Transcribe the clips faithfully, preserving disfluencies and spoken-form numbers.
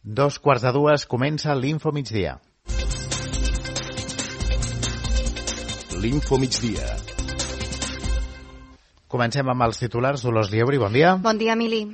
Dos quarts de dues comença l'Info Migdia. L'Info Migdia. Comencem amb els titulars. Dolors Lieuri, bon dia. Bon dia, Emili.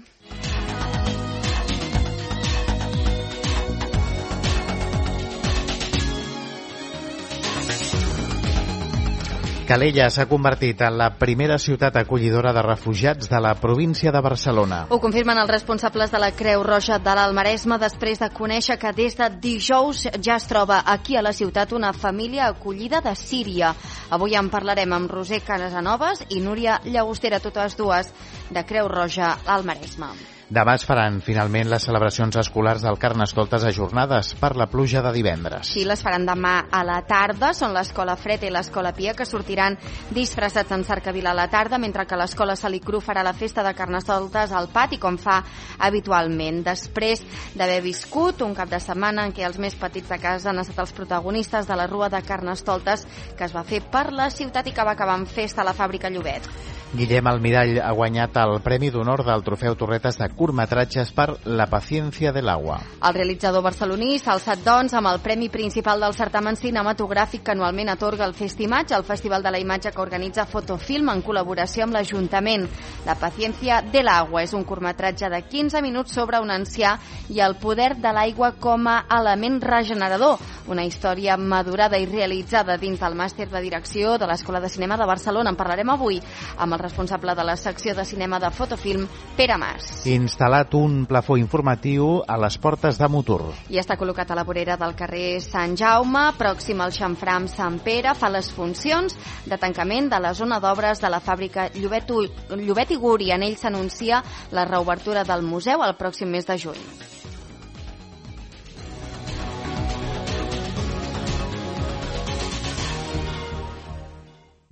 Calella s'ha convertit en la primera ciutat acollidora de refugiats de la província de Barcelona. Ho confirmen els responsables de la Creu Roja de l'Alt Maresme després de conèixer que des de dijous ja es troba aquí a la ciutat una família acollida de Síria. Avui en parlarem amb Roser Casanovas i Núria Llagostera, totes dues de Creu Roja Alt Maresme. Demà es faran finalment les celebracions escolars del Carnestoltes ajornades per la pluja de divendres. Sí, les faran demà a la tarda. Són l'Escola Fred i l'Escola Pia, que sortiran disfressats en cercavila a la tarda, mentre que l'Escola Salicru farà la festa de Carnestoltes al pati, com fa habitualment. Després d'haver viscut un cap de setmana en què els més petits de casa han estat els protagonistes de la Rua de Carnestoltes que es va fer per la ciutat i que va acabar amb festa a la fàbrica Llobet. Guillem Almirall ha guanyat el Premi d'Honor del Trofeu Torretes de curtmetratges per La paciencia del agua. El realitzador barceloní s'ha alçat, doncs, amb el premi principal del certamen cinematogràfic que anualment atorga el Festimatge, el Festival de la Imatge que organitza Fotofilm en col·laboració amb l'Ajuntament. La paciencia del agua és un curtmetratge de quinze minuts sobre un ancià i el poder de l'aigua com a element regenerador. Una història madurada i realitzada dins del màster de direcció de l'Escola de Cinema de Barcelona. En parlarem avui amb el responsable de la secció de cinema de Fotofilm, Pere Mas. Instal·lat un plafó informatiu a les portes de Motor. I està col·locat a la vorera del carrer Sant Jaume, pròxim al xamfrà amb Sant Pere. Fa les funcions de tancament de la zona d'obres de la fàbrica Llobet, Llobet i Guri. En ell s'anuncia la reobertura del museu el pròxim mes de juny.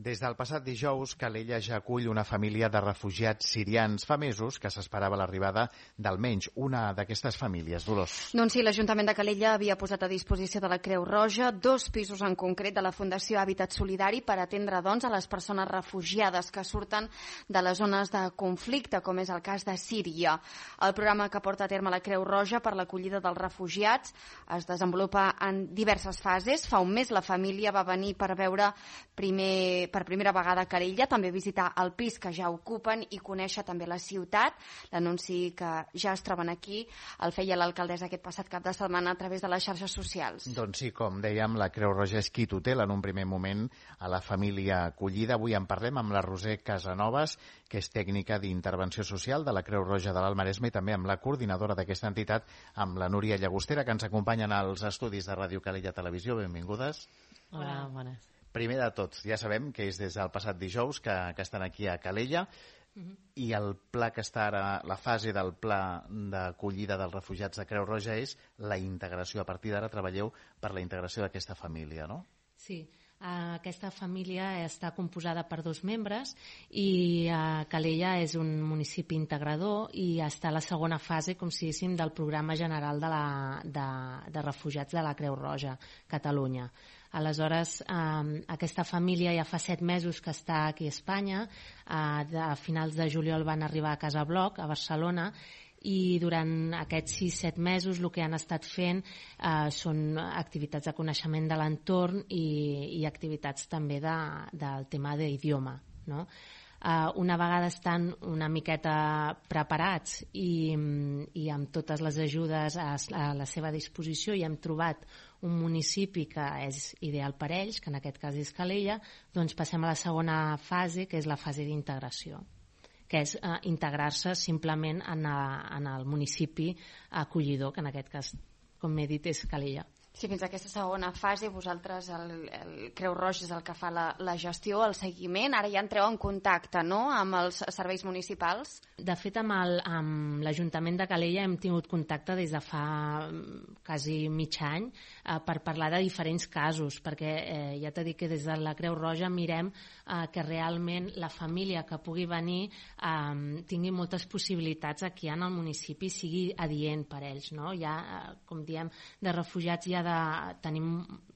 Des del passat dijous, Calella ja acull una família de refugiats sirians. Fa mesos que s'esperava l'arribada d'almenys una d'aquestes famílies. Dolors. Doncs sí, l'Ajuntament de Calella havia posat a disposició de la Creu Roja dos pisos en concret de la Fundació Hàbitat Solidari per atendre, doncs, a les persones refugiades que surten de les zones de conflicte, com és el cas de Síria. El programa que porta a terme la Creu Roja per l'acollida dels refugiats es desenvolupa en diverses fases. Fa un mes la família va venir per veure primer per primera vegada a Calella, també visitar el pis que ja ocupen i conèixer també la ciutat. L'anunci que ja es troben aquí el feia l'alcaldessa aquest passat cap de setmana a través de les xarxes socials. Doncs sí, com dèiem, la Creu Roja és qui tutela en un primer moment a la família acollida. Avui en parlem amb la Roser Casanovas, que és tècnica d'intervenció social de la Creu Roja de l'Alt Maresme, i també amb la coordinadora d'aquesta entitat, amb la Núria Llagostera, que ens acompanyen als estudis de Ràdio Calella Televisió. Benvingudes. Hola, bones. Primer de tot, ja sabem que és des del passat dijous que, que estan aquí a Calella, uh-huh. i el pla que està ara, la fase del pla d'acollida dels refugiats de Creu Roja és la integració. A partir d'ara treballeu per la integració d'aquesta família, no? Sí, aquesta família està composada per dos membres i Calella és un municipi integrador i està a la segona fase, com si diguéssim, del programa general de, la, de, de refugiats de la Creu Roja, Catalunya. Aleshores, eh, aquesta família ja fa set mesos que està aquí a Espanya. Eh, a finals de juliol van arribar a Casa Bloc, a Barcelona, i durant aquests sis set mesos el que han estat fent eh, són activitats de coneixement de l'entorn i, i activitats també de, del tema d'idioma, no? Uh, una vegada estan una miqueta preparats i, i amb totes les ajudes a, a la seva disposició i hem trobat un municipi que és ideal per ells, que en aquest cas és Calella, doncs passem a la segona fase, que és la fase d'integració, que és uh, integrar-se simplement en, a, en el municipi acollidor, que en aquest cas, com m'he dit, és Calella. Sí, fins a aquesta segona fase vosaltres, el, el Creu Roja és el que fa la, la gestió, el seguiment. Ara ja entreu en contacte, no?, amb els serveis municipals. De fet, amb el, amb l'Ajuntament de Calella hem tingut contacte des de fa quasi mig any eh, per parlar de diferents casos, perquè eh, ja t'he dit que des de la Creu Roja mirem eh, que realment la família que pugui venir eh, tingui moltes possibilitats aquí en el municipi, sigui adient per ells, no? Hi ha, eh, com diem, de refugiats hi ha de, tenim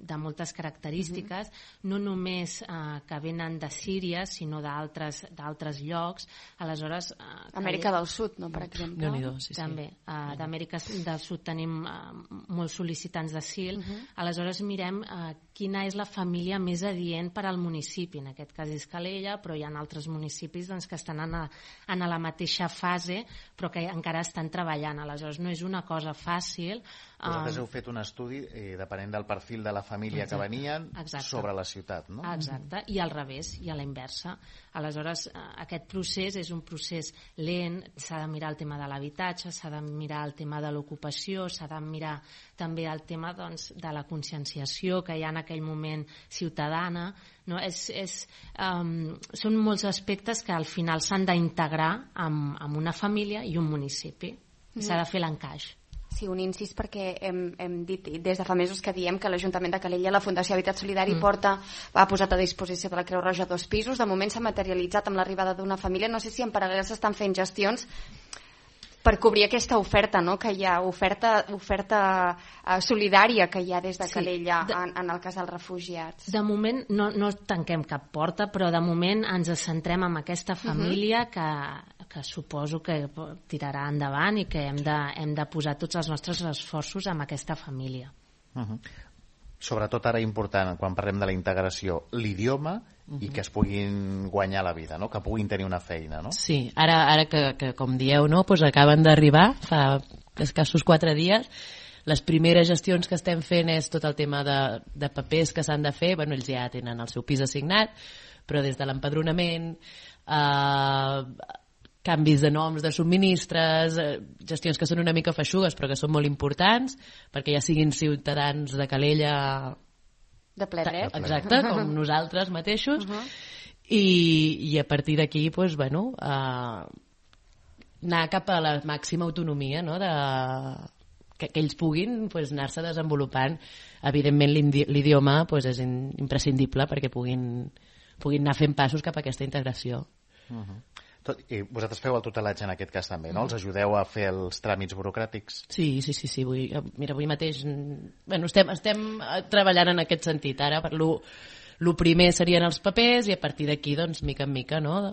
de moltes característiques, mm-hmm. no només eh, que venen de Síria, sinó d'altres d'altres llocs. Aleshores, eh, Amèrica del Sud, no, per exemple? Déu-n'hi-do, sí, també. sí. Uh, D'Amèrica del Sud tenim uh, molts sol·licitants d'asil. Uh-huh. Aleshores mirem uh, quina és la família més adient per al municipi. En aquest cas és Calella, però hi ha altres municipis doncs, que estan en, a, en la mateixa fase, però que encara estan treballant. Aleshores no és una cosa fàcil. Vosaltres heu fet un estudi, eh, depenent del perfil de la família Exacte. que venien, Exacte. sobre la ciutat, no? Exacte, i al revés, i a la inversa. Aleshores, aquest procés és un procés lent, s'ha de mirar el tema de l'habitatge, s'ha de mirar el tema de l'ocupació, s'ha de mirar també el tema doncs, de la conscienciació que hi ha en aquell moment ciutadana. No? És, és, um, són molts aspectes que al final s'han d'integrar amb, amb una família i un municipi. Mm. S'ha de fer l'encaix. Sí, un incís perquè hem, hem dit des de fa mesos que diem que l'Ajuntament de Calella, la Fundació Habitat Solidari, mm. porta, ha posat a disposició de la Creu Roja dos pisos. De moment s'ha materialitzat amb l'arribada d'una família. No sé si en paral·lel s'estan fent gestions per cobrir aquesta oferta, no? Que hi ha, oferta, oferta uh, solidària que hi ha des de Calella sí, de, en, en el cas dels refugiats. De moment no, no tanquem cap porta, però de moment ens centrem en aquesta família uh-huh. que, que suposo que tirarà endavant i que hem de, hem de posar tots els nostres esforços en aquesta família. Uh-huh. Sobretot ara important, quan parlem de la integració, l'idioma uh-huh. i que es puguin guanyar la vida, no? Que puguin tenir una feina, no? Sí, ara, ara que, que com dieu, no? pues acaben d'arribar fa escassos quatre dies. Les primeres gestions que estem fent és tot el tema de, de papers que s'han de fer. Bueno, ells ja tenen el seu pis assignat, però des de l'empadronament, eh, canvis de noms de subministres, eh, gestions que són una mica feixugues però que són molt importants perquè ja siguin ciutadans de Calella de ple dret, exacte, com nosaltres mateixos uh-huh. I, i a partir d'aquí pues, bueno, eh, anar cap a la màxima autonomia, no? de, que, que ells puguin pues, anar-se desenvolupant. Evidentment l'idioma pues, és imprescindible perquè puguin, puguin anar fent passos cap a aquesta integració. Uh-huh. Tot, i vosaltres feu el tutelatge en aquest cas també, no? Els ajudeu a fer els tràmits burocràtics? Sí, sí, sí, sí. Vull, mira, avui mateix bueno, estem, estem treballant en aquest sentit. Ara per lo, lo primer serien els papers i a partir d'aquí, doncs, mica en mica, no?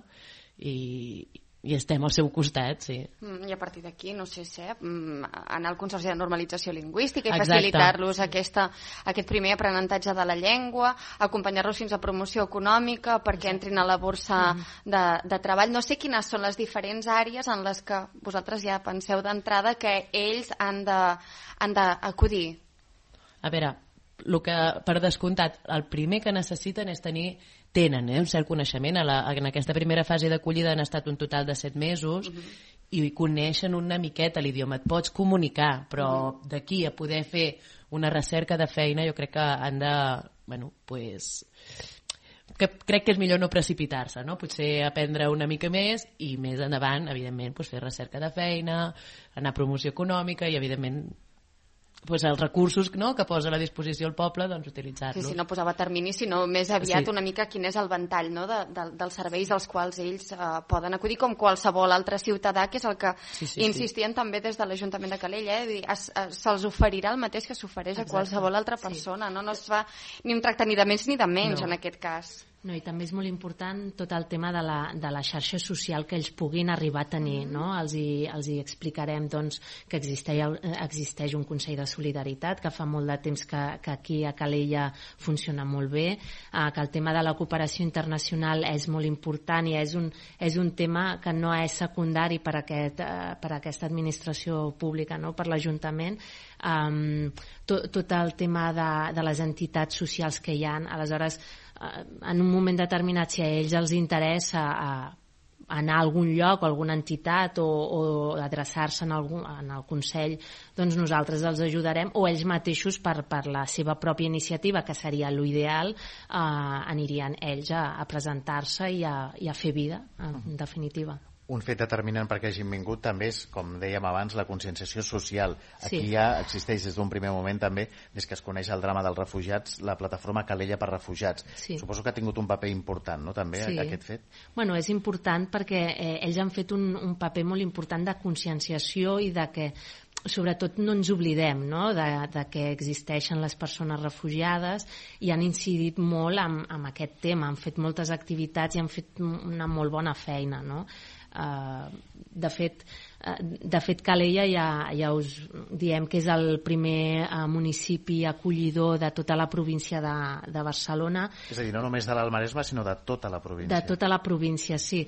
I, i estem al seu costat, sí. I a partir d'aquí, no sé si, anar al Consorci de Normalització Lingüística i Exacte. Facilitar-los aquesta, aquest primer aprenentatge de la llengua, acompanyar-los fins a promoció econòmica perquè entrin a la borsa de, de treball. No sé quines són les diferents àrees en les que vosaltres ja penseu d'entrada que ells han de, han d'acudir. A veure, el que, per descomptat, el primer que necessiten és tenir tenen eh, un cert coneixement. A la, en aquesta primera fase d'acollida han estat un total de set mesos uh-huh. i coneixen una miqueta l'idioma. Et pots comunicar, però uh-huh. d'aquí a poder fer una recerca de feina jo crec que han de... Bueno, pues, que crec que és millor no precipitar-se, no? Potser aprendre una mica més i més endavant, evidentment, pues, fer recerca de feina, anar a promoció econòmica i, evidentment, pues els recursos, no?, que posa a la disposició el poble, doncs utilitzar-los. Sí, sí, no posava termini, sinó més aviat sí. una mica quin és el ventall, no?, de, de, dels serveis als quals ells eh, poden acudir, com qualsevol altre ciutadà, que és el que sí, sí, insistien sí. també des de l'Ajuntament de Calella, eh? Se'ls oferirà el mateix que s'ofereix a qualsevol altra persona, sí. no? No es fa ni un tracte ni de més ni de menys, no. en aquest cas. No, i també és molt important tot el tema de la, de la xarxa social que ells puguin arribar a tenir, no? Els hi, els hi explicarem doncs, que existeix, existeix un Consell de Solidaritat que fa molt de temps que, que aquí a Calella funciona molt bé, eh, que el tema de la cooperació internacional és molt important i és un, és un tema que no és secundari per, aquest, eh, per aquesta administració pública, no? Per l'Ajuntament. Um, tot, tot el tema de, de les entitats socials que hi ha, aleshores en un moment determinat si a ells els interessa a, a anar a algun lloc o a alguna entitat o, o adreçar-se en, algun, en el Consell, doncs nosaltres els ajudarem o ells mateixos per, per la seva pròpia iniciativa, que seria l'ideal, eh, anirien ells a, a presentar-se i a, i a fer vida, en definitiva. Un fet determinant perquè hagin vingut també és, com dèiem abans, la conscienciació social. Aquí sí. ja existeix des d'un primer moment també, des que es coneix el drama dels refugiats, la plataforma Calella per Refugiats. Sí. Suposo que ha tingut un paper important, no?, també, sí. aquest fet. Bueno, és important perquè eh, ells han fet un, un paper molt important de conscienciació i de que sobretot no ens oblidem, no? de, de que existeixen les persones refugiades, i han incidit molt en, en aquest tema, han fet moltes activitats i han fet una molt bona feina, no? Uh, de fet de fet Calella ja, ja us diem que és el primer uh, municipi acollidor de tota la província de, de Barcelona. És a dir, no només de l'Almaresme, sinó de tota la província. De tota la província, sí.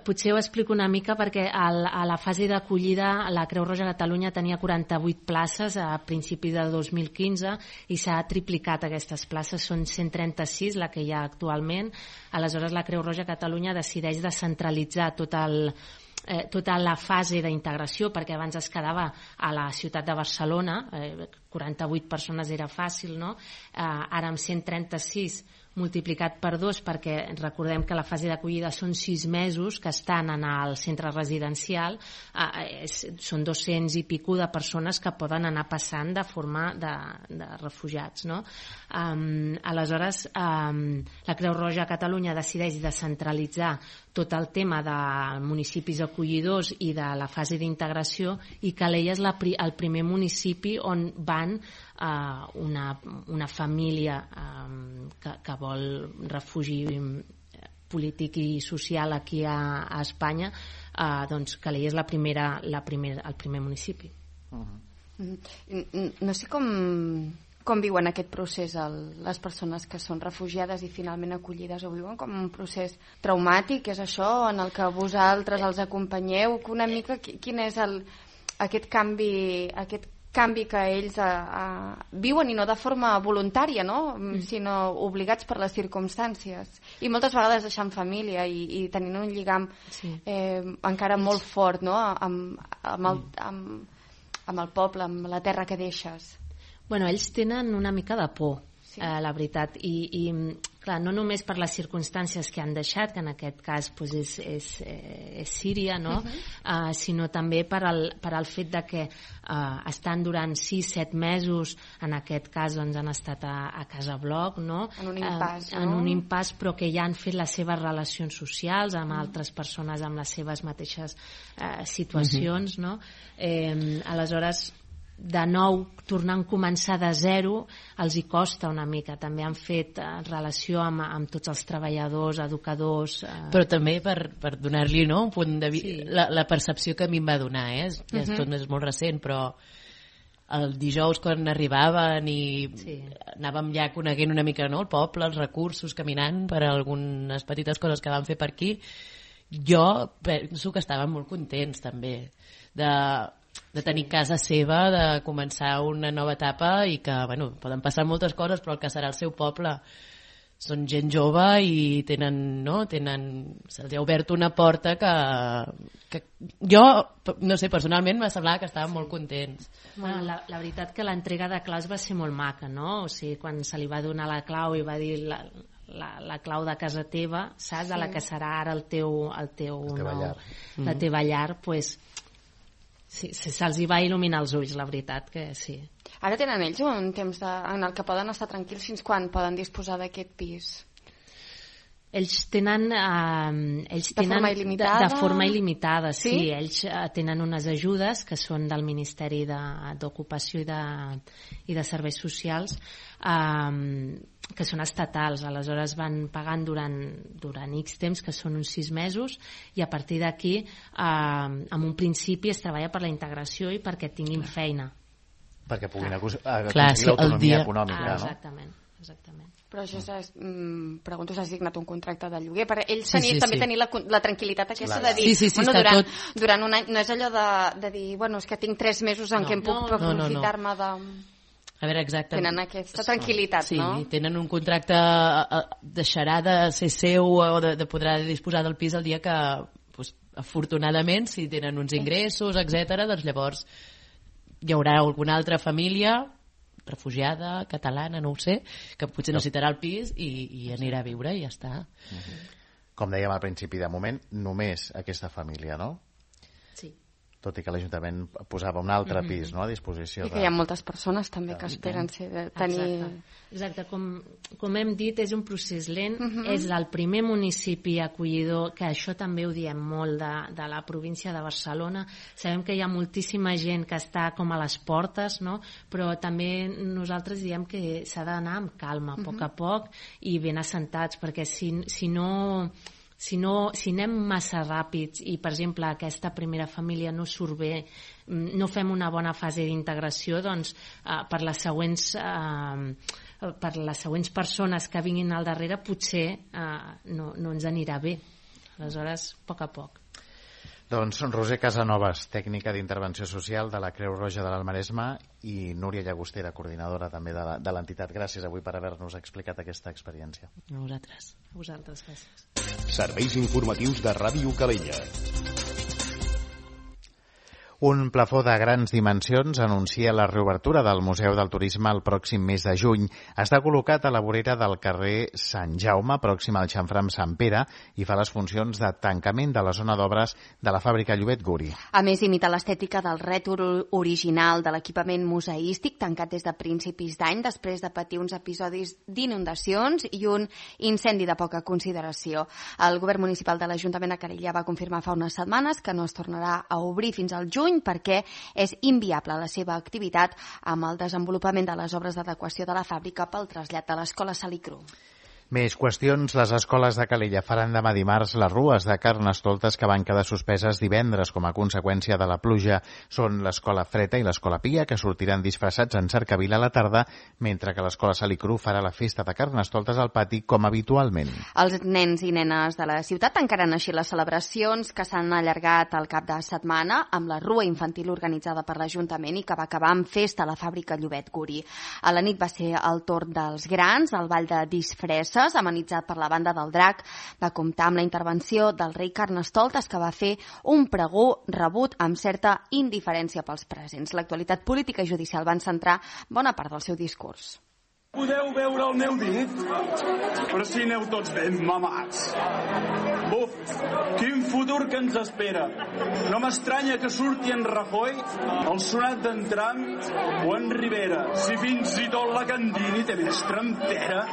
Potser ho explico una mica perquè al, a la fase d'acollida la Creu Roja Catalunya tenia quaranta-vuit places a principis de dos mil quinze i s'ha triplicat aquestes places, són cent trenta-sis la que hi ha actualment. Aleshores la Creu Roja Catalunya decideix descentralitzar tot el Eh, tota la fase d'integració, perquè abans es quedava a la ciutat de Barcelona, eh, quaranta-vuit persones era fàcil, no? Eh, ara amb cent trenta-sis multiplicat per dos, perquè recordem que la fase d'acollida són sis mesos que estan en el centre residencial, eh, és, són dos-cents i pico de persones que poden anar passant de forma de, de refugiats, no? Um, aleshores um, la Creu Roja a Catalunya decideix descentralitzar tot el tema de municipis acollidors i de la fase d'integració, i Calella és la, el primer municipi on van uh, una, una família um, que, que vol refugi polític i social aquí a, a Espanya, uh, doncs Calella és la primera, la primer, el primer municipi. Uh-huh. No sé com, com viuen aquest procés el, les persones que són refugiades i finalment acollides, ho viuen com un procés traumàtic, és això, en el que vosaltres els acompanyeu, que una mica quin és el, aquest canvi aquest canvi que ells a, a, viuen, i no de forma voluntària, no? Mm. sinó obligats per les circumstàncies, i moltes vegades deixant família i, i tenint un lligam sí. eh, encara molt fort, no? amb, amb, el, amb, amb el poble, amb la terra que deixes. Bueno, ells tenen una mica de por, sí. eh, la veritat, i, i clar, no només per les circumstàncies que han deixat, que en aquest cas pues, és, és, és Síria, no? Uh-huh. uh, sinó també per al, per al fet de que uh, estan durant sis set mesos, en aquest cas doncs, han estat a, a Casa Bloc, no? En un impàs, uh, no? En un impàs, però que ja han fet les seves relacions socials amb uh-huh. altres persones amb les seves mateixes uh, situacions, uh-huh. no? Eh, aleshores, de nou, tornant a començar de zero, els hi costa una mica. També han fet eh, relació amb, amb tots els treballadors, educadors... Eh... Però també per, per donar-li, no?, un punt de vi... sí. la, la percepció que a mi em va donar, eh? Ja uh-huh. tot és molt recent, però el dijous quan arribaven i sí. anàvem ja coneguent una mica, no?, el poble, els recursos, caminant per algunes petites coses que vam fer per aquí, jo penso que estaven molt contents també de... de tenir casa seva, de començar una nova etapa, i que, bueno, poden passar moltes coses, però el que serà el seu poble són gent jove i tenen, no, tenen, se'ls ha obert una porta que, que jo, no sé, personalment m'ha semblat que estaven molt contents. Bueno, la, la veritat que l'entrega de claus va ser molt maca, no? O sigui, quan se li va donar la clau i va dir la, la, la clau de casa teva, saps? Sí. De la que serà ara el teu, el teu la teva nou, llar, la mm. teva llar, doncs pues, sí, se'ls hi va il·luminar els ulls, la veritat que sí. Ara tenen ells un temps de, en el que poden estar tranquils. Fins quan poden disposar d'aquest pis? Ells tenen... Eh, ells de tenen forma il·limitada? De, de forma il·limitada, sí. sí. Ells eh, tenen unes ajudes que són del Ministeri d'Ocupació i, de, i de Serveis Socials, eh, que són estatals, aleshores van pagant durant, durant X temps, que són uns sis mesos, i a partir d'aquí, eh, en un principi es treballa per la integració i perquè tinguin feina. Perquè puguin aconseguir sí, l'autonomia dia... econòmica, ah, exactament, no? Exactament. Però això és, mm, pregunto si has signat un contracte de lloguer, per ells sí, tenir, sí, també sí. tenir la, la tranquil·litat aquesta Clar. de dir, sí, sí, sí, bueno, durant, tot... durant un any, no és allò de, de dir, bueno, és que tinc tres mesos en no, què em puc no, aprofitar-me no, no. de... A veure, exacte. Tenen aquesta tranquil·litat, sí, no? Sí, tenen un contracte, deixarà de ser seu o de, de poder disposar del pis el dia que, pues, afortunadament, si tenen uns ingressos, etcètera, doncs llavors hi haurà alguna altra família refugiada, catalana, no ho sé, que potser no. necessitarà el pis i, i anirà a viure i ja està. Com dèiem al principi, de moment, només aquesta família, no? Sí. tot i que l'Ajuntament posava un altre mm-hmm. pis, no?, a disposició. I que de... hi ha moltes persones també que esperen ser, tenir... Exacte, Exacte. Com, com hem dit, és un procés lent, mm-hmm. és el primer municipi acollidor, que això també ho diem molt de, de la província de Barcelona. Sabem que hi ha moltíssima gent que està com a les portes, no?, però també nosaltres diem que s'ha d'anar amb calma, a poc a poc, i ben assentats, perquè si, si no... Si, no, si anem massa ràpids i, per exemple, aquesta primera família no surt bé, no fem una bona fase d'integració, doncs eh, per les següents eh, per les següents persones que vinguin al darrere potser eh, no, no ens anirà bé. Aleshores, a poc a poc. Doncs Roser Casanovas, tècnica d'intervenció social de la Creu Roja de l'Almaresme, i Núria Llagostera, coordinadora també de l'entitat. Gràcies avui per haver-nos explicat aquesta experiència. A vosaltres. A vosaltres, gràcies. Serveis informatius de Ràdio Calella. Un plafó de grans dimensions anuncia la reobertura del Museu del Turisme el pròxim mes de juny. Està col·locat a la vorera del carrer Sant Jaume, pròxim al xamfrà amb Sant Pere, i fa les funcions de tancament de la zona d'obres de la fàbrica Llobet Guri. A més, imita l'estètica del rètol original de l'equipament museístic, tancat des de principis d'any, després de patir uns episodis d'inundacions i un incendi de poca consideració. El govern municipal de l'Ajuntament de Calella va confirmar fa unes setmanes que no es tornarà a obrir fins al juny perquè és inviable la seva activitat amb el desenvolupament de les obres d'adequació de la fàbrica pel trasllat de l'Escola Salicru. Més qüestions. Les escoles de Calella faran demà dimarts les rues de Carnestoltes que van quedar suspeses divendres com a conseqüència de la pluja. Són l'Escola Freta i l'Escola Pia, que sortiran disfressats en cercavila a la tarda, mentre que l'Escola Salicru farà la festa de Carnestoltes al pati com habitualment. Els nens i nenes de la ciutat tancaran així les celebracions que s'han allargat al cap de setmana amb la rua infantil organitzada per l'Ajuntament i que va acabar amb festa a la fàbrica Llobet Guri. A la nit va ser el torn dels grans, el ball de disfresses, amenitzat per la banda del Drac, va comptar amb la intervenció del rei Carnestoltes, que va fer un pregó rebut amb certa indiferència pels presents. L'actualitat política i judicial van centrar bona part del seu discurs. Podeu veure el meu dit? Però si aneu tots ben mamats. Buf, quin futur que ens espera. No m'estranya que surti en Rajoy, el sonat d'en Trump o en Rivera. Si fins i tot la Candini té més trempera.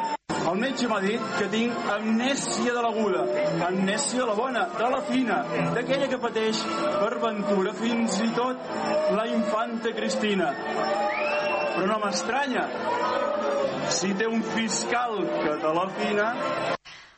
El metge m'ha dit que tinc amnèsia de l'aguda, amnèsia de la bona, de la fina, d'aquella que pateix per ventura fins i tot la infanta Cristina. Però no m'estranya, si té un fiscal que te la fina...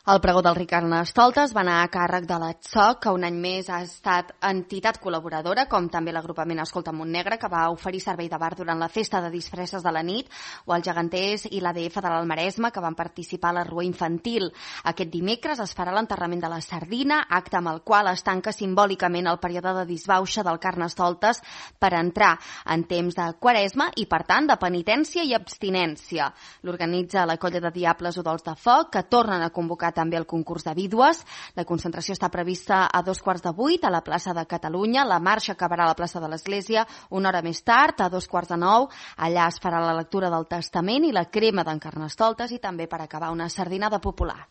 El pregó del rei Carnestoltes va anar a càrrec de l'Atsoc, que un any més ha estat entitat col·laboradora, com també l'agrupament Escolta Montnegre, que va oferir servei de bar durant la festa de disfresses de la nit, o els geganters i l'A D F de l'Almaresme, que van participar a la rua infantil. Aquest dimecres es farà l'enterrament de la sardina, acte amb el qual es tanca simbòlicament el període de disbauxa del Carnestoltes per entrar en temps de quaresma i, per tant, de penitència i abstinència. L'organitza la colla de Diables Udols de Foc, que tornen a convocar també el concurs de vídues. La concentració està prevista a dos quarts de vuit a la plaça de Catalunya. La marxa acabarà a la plaça de l'Església una hora més tard, a dos quarts de nou. Allà es farà la lectura del Testament i la crema d'en Carnestoltes i també, per acabar, una sardinada popular.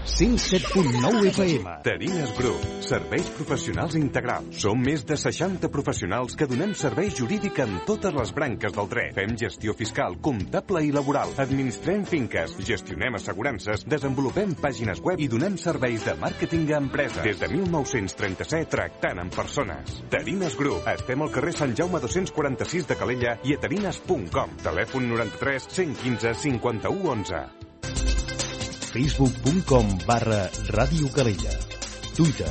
cent set punt nou F M. Tarines Group, serveis professionals integrals. Som més de seixanta professionals que donem servei jurídic en totes les branques del dret. Fem gestió fiscal, comptable i laboral. Administrem finques, gestionem assegurances, desenvolupem pàgines web i donem serveis de màrqueting a empreses. Des de mil nou-cents trenta-set, tractant amb persones. Tarines Group. Estem al carrer Sant Jaume dos-cents quaranta-sis de Calella i a tarines punt com. Telèfon noranta-tres cent quinze cinquanta-u onze. facebook punt com barra Ràdio Calella. Twitter,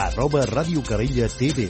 arroba Ràdio Calella T V.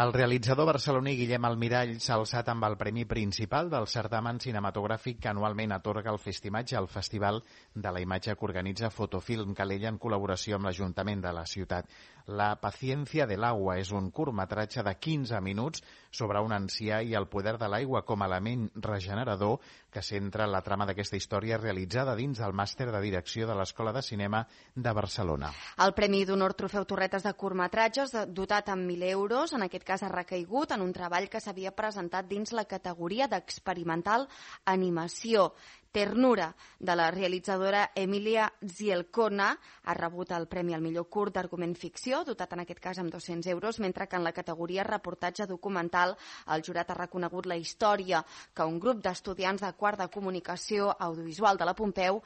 El realitzador barceloní Guillem Almirall s'ha alçat amb el premi principal del certamen cinematogràfic que anualment atorga el Festimatge al Festival de la Imatge que organitza Fotofilm Calella en col·laboració amb l'Ajuntament de la ciutat. La paciencia del agua és un curtmetratge de quinze minuts sobre un ancià i el poder de l'aigua com a element regenerador que centra la trama d'aquesta història realitzada dins del màster de direcció de l'Escola de Cinema de Barcelona. El Premi d'Honor Trofeu Torretes de curtmetratges, dotat amb mil euros, en aquest cas ha recaigut en un treball que s'havia presentat dins la categoria d'experimental animació. Ternura, de la realitzadora Emilia Zielkona, ha rebut el Premi al millor curt d'argument ficció, dotat en aquest cas amb dos-cents euros, mentre que en la categoria reportatge documental el jurat ha reconegut la història que un grup d'estudiants de quart de comunicació audiovisual de la Pompeu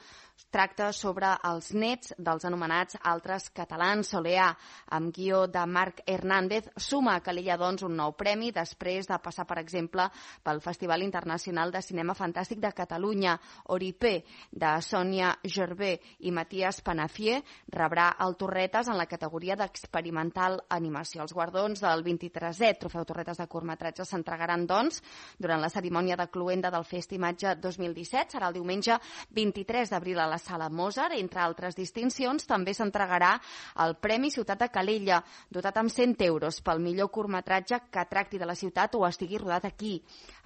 tracta sobre els nets dels anomenats altres catalans. Soleà, amb guió de Marc Hernández, suma a Calella doncs un nou premi després de passar, per exemple, pel Festival Internacional de Cinema Fantàstic de Catalunya. Oripé, de Sònia Gervé i Matías Panafier, rebrà el Torretes en la categoria d'experimental animació. Els guardons del vint-i-tresè Trofeu Torretes de curtmetratge s'entregaran, doncs, durant la cerimònia de cloenda del Festimatge dos mil disset. Serà el diumenge vint-i-tres d'abril a la Sala Mozart. Entre altres distincions, també s'entregarà el Premi Ciutat de Calella, dotat amb cent euros pel millor curtmetratge que tracti de la ciutat o estigui rodat aquí.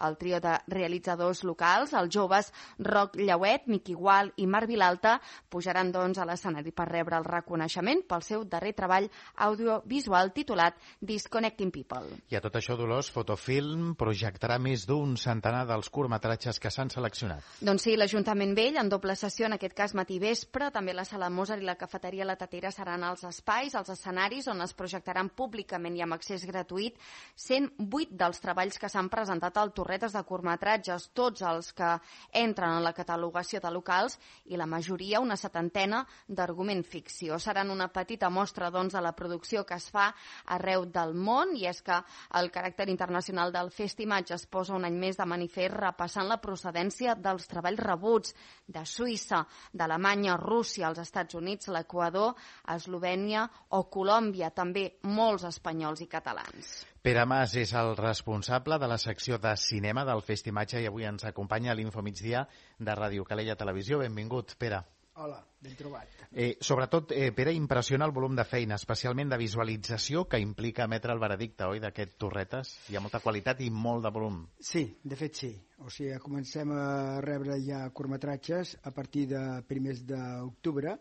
El trio de realitzadors locals, els joves Roc Llauet, Miqui Gual i Marc Vilalta, pujaran doncs a l'escenari per rebre el reconeixement pel seu darrer treball audiovisual titulat Disconnecting People. I a tot això, Dolors, Fotofilm projectarà més d'un centenar dels curtmetratges que s'han seleccionat. Doncs sí, l'Ajuntament Vell, en doble sessió, en aquest cas matí vespre, també la Sala Mozart i la Cafeteria La Tatera seran els espais, els escenaris on es projectaran públicament i amb accés gratuït cent vuit dels treballs que s'han presentat al Torretes de curtmetratges, tots els que entren en la catalogació de locals i la majoria, una setantena, d'argument ficció. Seran una petita mostra, doncs, de la producció que es fa arreu del món, i és que el caràcter internacional del Festimatge es posa un any més de manifest repassant la procedència dels treballs rebuts de Suïssa, d'Alemanya, Rússia, els Estats Units, l'Equador, Eslovènia o Colòmbia, també molts espanyols i catalans. Pere Mas és el responsable de la secció de cinema del Festimatge i avui ens acompanya a l'Infomigdia de Ràdio Calella Televisió. Benvingut, Pere. Hola, ben trobat. Eh, sobretot, eh, Pere, impressiona el volum de feina, especialment de visualització, que implica emetre el veredicte, oi, d'aquest Torretes? Hi ha molta qualitat i molt de volum. Sí, de fet sí. O sigui, comencem a rebre ja curtmetratges a partir de primers d'octubre,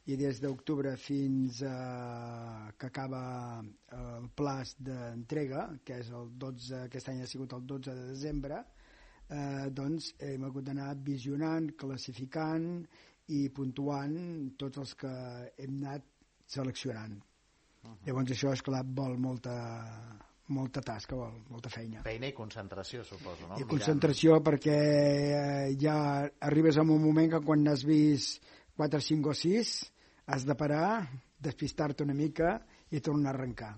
i des d'octubre fins a que acaba el plaç d'entrega, que és el dotze, aquest any ha sigut el dotze de desembre, eh, doncs hem hagut d'anar visionant, classificant i puntuant tots els que hem anat seleccionant. Uh-huh. Llavors això, esclar, vol molta, molta tasca, vol molta feina. Feina i concentració, suposo, no? I concentració Mirant. Perquè ja arribes a un moment que quan has vist quatre, cinc o sis has de parar, despistar-te una mica i tornar a arrencar.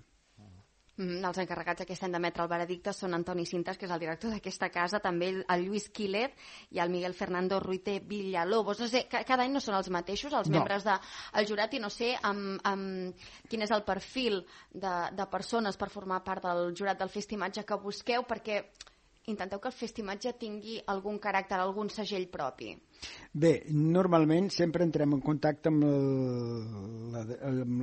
Mm, els encarregats aquest any d'emetre el veredicte són Antoni Cintas, que és el director d'aquesta casa, també el Lluís Quíler i el Miguel Fernando Ruite Villalobos. No sé, cada any no són els mateixos, els no. membres del jurat, i no sé amb, amb quin és el perfil de, de persones per formar part del jurat del Festimatge que busqueu, perquè intenteu que el Festimatge tingui algun caràcter, algun segell propi. Bé, normalment sempre entrem en contacte amb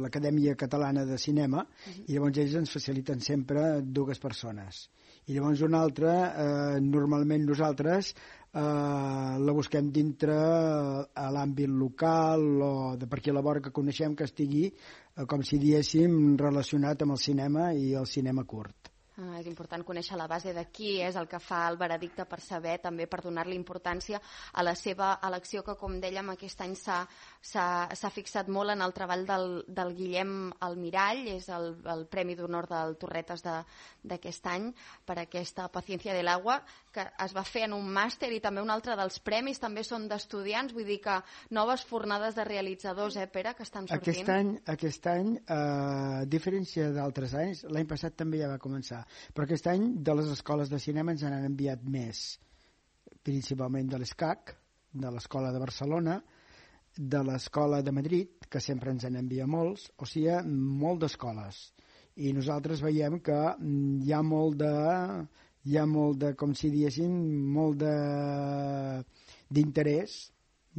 l'Acadèmia Catalana de Cinema, uh-huh. i llavors ells ens faciliten sempre dues persones. I llavors una altra, eh, normalment nosaltres eh, la busquem dintre a l'àmbit local o de per aquí a la vora que coneixem, que estigui, eh, com si diéssim, relacionat amb el cinema i el cinema curt. Ah, és important conèixer la base de qui és el que fa el veredicte per saber, també per donar-li importància a la seva elecció, que com dèiem aquest any s'ha, s'ha, s'ha fixat molt en el treball del, del Guillem Almirall, és el, el Premi d'Honor del Torretes de, d'aquest any per aquesta Paciencia del Agua, que es va fer en un màster, i també un altre dels premis també són d'estudiants, vull dir que noves fornades de realitzadors, eh, Pere, que estan sortint. Aquest any, aquest any eh, a diferència d'altres anys, l'any passat també ja va començar, però aquest any de les escoles de cinema ens han enviat més, principalment de l'ESCAC, de l'Escola de Barcelona, de l'Escola de Madrid, que sempre ens en envia molts, o sigui, molt d'escoles. I nosaltres veiem que hi ha molt de, hi ha molt de, com si diéssim, molt de, d'interès,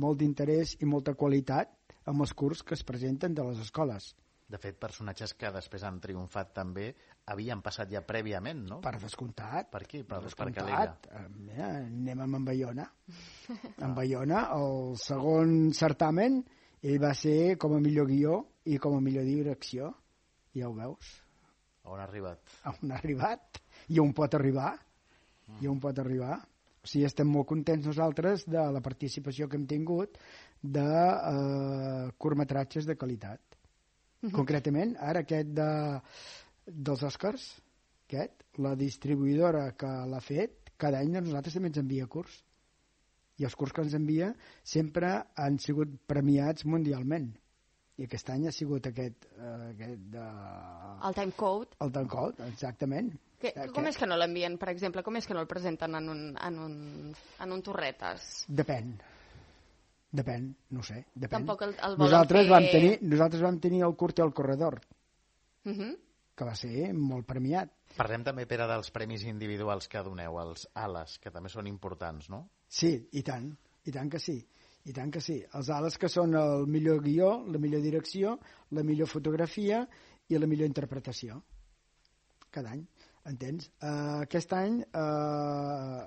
molt d'interès i molta qualitat amb els curs que es presenten de les escoles. De fet, personatges que després han triomfat també havien passat ja prèviament, no? Per descomptat. Per qui? Per, per descomptat. Per Calella. Mira, anem amb en Bayona. En Bayona, el segon certamen, ell va ser com a millor guió i com a millor direcció. Ja ho veus. On ha arribat? On ha arribat. I on pot arribar. Mm. I on pot arribar. O sigui, estem molt contents nosaltres de la participació que hem tingut de eh, curtmetratges de qualitat. Uh-huh. Concretament, ara aquest de, dels Oscars, aquest, la distribuïdora que l'ha fet, cada any a nosaltres també ens envia curs. I els curs que ens envia sempre han sigut premiats mundialment. I aquest any ha sigut aquest... Eh, aquest de... El Time Code. El Time Code, exactament. Que, com és que no l'envien, per exemple? Com és que no el presenten en un, en un, en un torretes? Depèn. Depèn, no sé. Depèn. Tampoc el, el volen nosaltres fer... Vam tenir, nosaltres vam tenir el curt i el corredor, uh-huh. que va ser molt premiat. Parlem també, Pere, dels premis individuals que doneu, els ALES, que també són importants, no? Sí, i tant, i tant que sí. I tant que sí. Els ALES que són el millor guió, la millor direcció, la millor fotografia i la millor interpretació. Cada any. Entens? Uh, aquest any uh,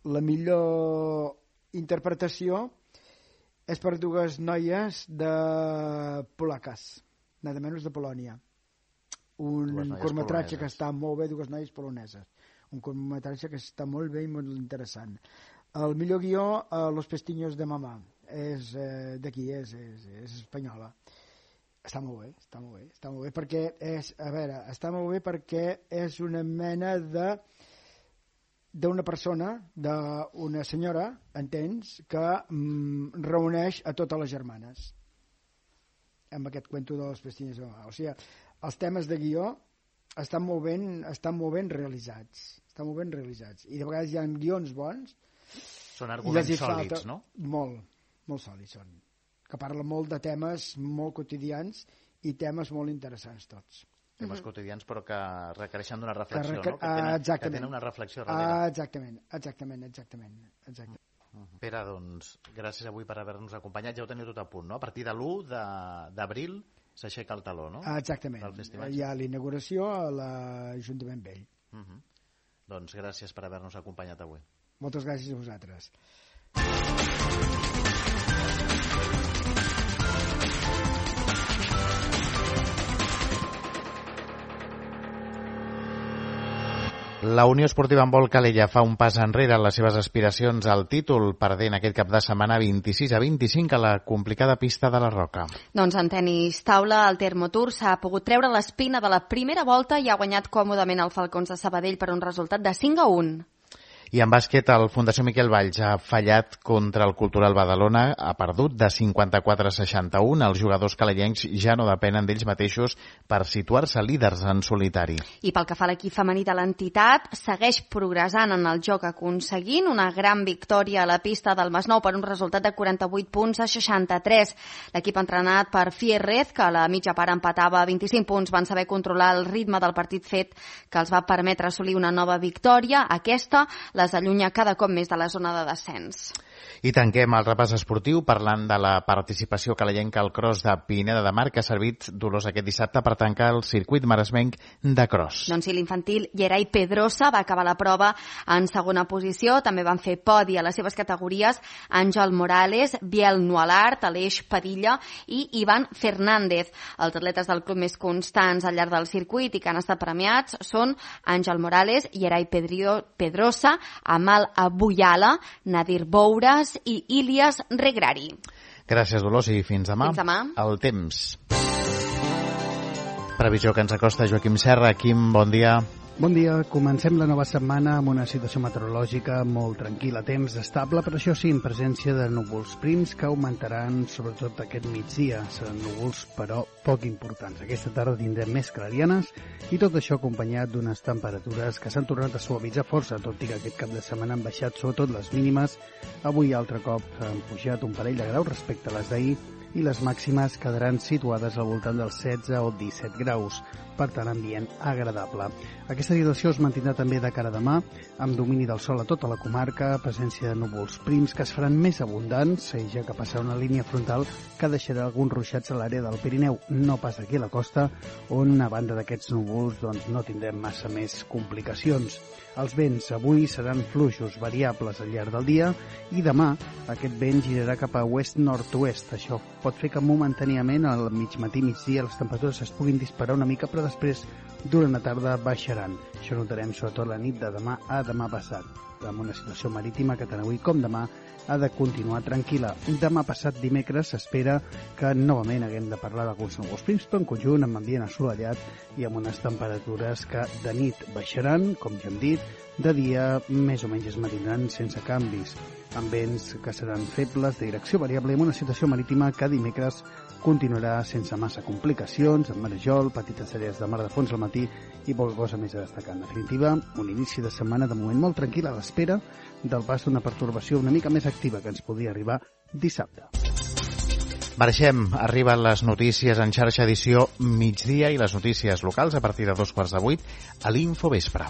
la millor interpretació és per dues noies de polaques, nada menys de Polònia. Un curtmetratge que està molt bé, dues noies poloneses. Un curtmetratge que està molt bé i molt interessant. El millor guió, uh, Los pestiños de mamá, és uh, d'aquí, és, és, és espanyola. Està molt bé, està molt bé, està molt bé perquè és, a veure, està molt bé perquè és una mena de d'una persona, d'una senyora, entens, que mm, reuneix a totes les germanes amb aquest cuento de Los pestiños de mamá. O sigui, els temes de guió estan molt ben, estan molt ben realitzats, estan molt ben realitzats. I de vegades hi ha guions bons. Són arguments sòlids, no? Molt, molt sòlids són. Que parla molt de temes molt quotidians i temes molt interessants tots. Temes uh-huh. quotidians però que requereixen d'una reflexió, que requer... no? Que tenen, ah, que tenen una reflexió darrere. Ah, exactament, exactament, exactament. exactament. Uh-huh. Pere, doncs, gràcies avui per haver-nos acompanyat. Ja ho teniu tot a punt, no? A partir de l'u d'abril s'aixeca el taló, no? Ah, exactament. Hi ha l'inauguració a l'Ajuntament Vell. Uh-huh. Doncs gràcies per haver-nos acompanyat avui. Moltes gràcies a vosaltres. La Unió Esportiva Handbol Calella fa un pas enrere en les seves aspiracions al títol, perdent aquest cap de setmana vint-i-sis a vint-i-cinc a la complicada pista de la Roca. Doncs en tenis taula, el Termotour s'ha pogut treure l'espina de la primera volta i ha guanyat còmodament el Falcons de Sabadell per un resultat de cinc a un. I en bàsquet, el Fundació Miquel Valls ha fallat contra el Cultural Badalona, ha perdut de cinquanta-quatre a seixanta-un. Els jugadors calellencs ja no depenen d'ells mateixos per situar-se líders en solitari. I pel que fa a l'equip femení de l'entitat, segueix progressant en el joc, aconseguint una gran victòria a la pista del Masnou per un resultat de quaranta-vuit punts a seixanta-tres. L'equip entrenat per Fierrez, que a la mitja part empatava a vint-i-cinc punts, van saber controlar el ritme del partit fet que els va permetre assolir una nova victòria. Aquesta les allunya cada cop més de la zona de descens. I tanquem el repàs esportiu parlant de la participació calellenca al cross de Pineda de Mar, que ha servit Dolors aquest dissabte per tancar el circuit maresmenc de cross. Doncs sí, l'infantil Gerai Pedrosa va acabar la prova en segona posició. També van fer podi a les seves categories Àngel Morales, Biel Nualart, Aleix Padilla i Ivan Fernández. Els atletes del club més constants al llarg del circuit i que han estat premiats són Àngel Morales, Gerai Pedrosa, Amal Abuyala, Nadir Boures i Ilias Regrari. Gràcies, Dolors, i fins demà. Fins demà. El temps. Previsió que ens acosta Joaquim Serra. Quim, bon dia. Bon dia. Comencem la nova setmana amb una situació meteorològica molt tranquil·la, temps estable, però això sí, en presència de núvols prims que augmentaran sobretot aquest migdia. Seran núvols, però poc importants. Aquesta tarda tindrem més clarianes i tot això acompanyat d'unes temperatures que s'han tornat a suavitzar força, tot i que aquest cap de setmana han baixat sobretot les mínimes. Avui altre cop han pujat un parell de graus respecte a les d'ahir i les màximes quedaran situades al voltant dels setze o disset graus. Per tant, ambient agradable. Aquesta situació es mantindrà també de cara a demà, amb domini del sol a tota la comarca, presència de núvols prims que es faran més abundants, ja que passarà una línia frontal que deixarà alguns ruixats a l'àrea del Pirineu, no pas aquí a la costa, on a banda d'aquests núvols doncs, no tindrem massa més complicacions. Els vents avui seran fluixos variables al llarg del dia i demà aquest vent girarà cap a oest-nord-oest. Això pot fer que momentàniament al mig matí, migdia, les temperatures es puguin disparar una mica, però després durant la tarda baixaran. Això notarem sobretot la nit de demà a demà passat, amb una situació marítima que tant avui com demà ha de continuar tranquil·la. Demà passat dimecres s'espera que novament haguem de parlar d'alguns núvols prims, però en conjunt amb ambient assolellat i amb unes temperatures que de nit baixaran, com ja hem dit, de dia més o menys es mantindran sense canvis, amb vents que seran febles de direcció variable i amb una situació marítima que dimecres continuarà sense massa complicacions, amb marejol, petites àrees de mar de fons al matí i poca cosa més a destacar. En definitiva, un inici de setmana de moment molt tranquil a l'espera del pas d'una pertorbació una mica més activa que ens podria arribar dissabte. Marxem, arriben les notícies en xarxa edició migdia i les notícies locals a partir de dos quarts de vuit a l'Infovespre.